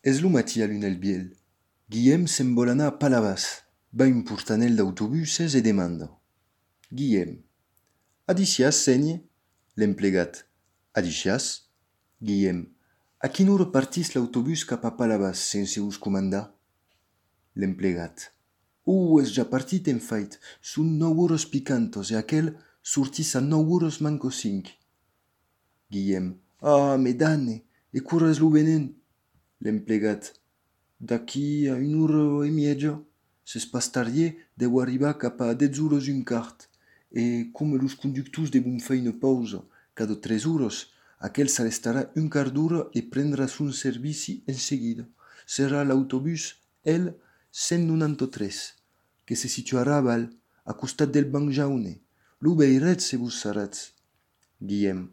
És lo matí a l'un el biel. Guillem se'n vol anar a Palavas. Va un portanel d'autobuses e demanda. Guillem. Adicias, senye? L'emplegat. Adicias? Guillem. A quina hora partís l'autobús cap a Palavas sense us comandar? L'emplegat. És ja partit en fait. Són 9 hores picantos e aquel sortís a 9 hores manco 5. Guillem. Me danne, e cura es lo venent? L'emplegat. D'aquí a 1 hora e mezza. Ses pastarier deu arribar cap a 10 hores un quart. E come los conductors devon fer una pausa cada 3 hores, aquel s'arrestarà un quart d'hora e prendrà son servici en seguida. Serà l'autobús L193, que se situarà a Val, a costat del banc jaune. Lo veiretz se vos saratz. Guillem.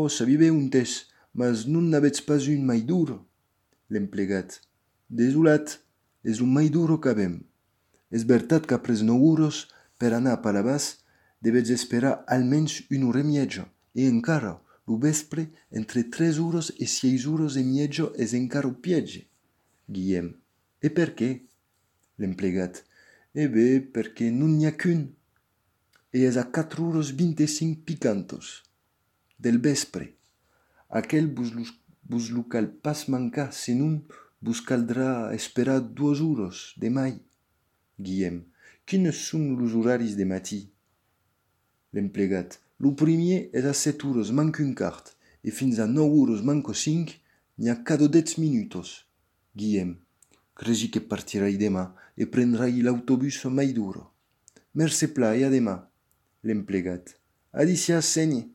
Sabive un tes, mas non n'avets pas un mai dur. L'emplegat. Desolat, és un mai duro qu'avem. És veritat qu'apres 9 hores, per anar a Palavas, devets esperar almenys 1 hora e mezza, e encara, lo vespre, entre 3 hores e 6 hores e mezza és encara o piege. Guillem. E per què? L'emplegat. Perquè non n'hi ha qu'un. E és a 4 hores 25 picantos. Del vespre. Aquel vos lo cal pas mancar, senon vos caldrà esperar 2 hores de mai. Guillem. Quines són los horaris de matí? L'emplegat. Lo primer és a 7 hores manco un quart, e fins a 9 hores manco 5 n'hi ha cada 10 minutos. Guillem. Cregi que partirai demà e prendrai l'autobús mai duro. Merce pla e a demà. L'emplegat. Adicias, senye.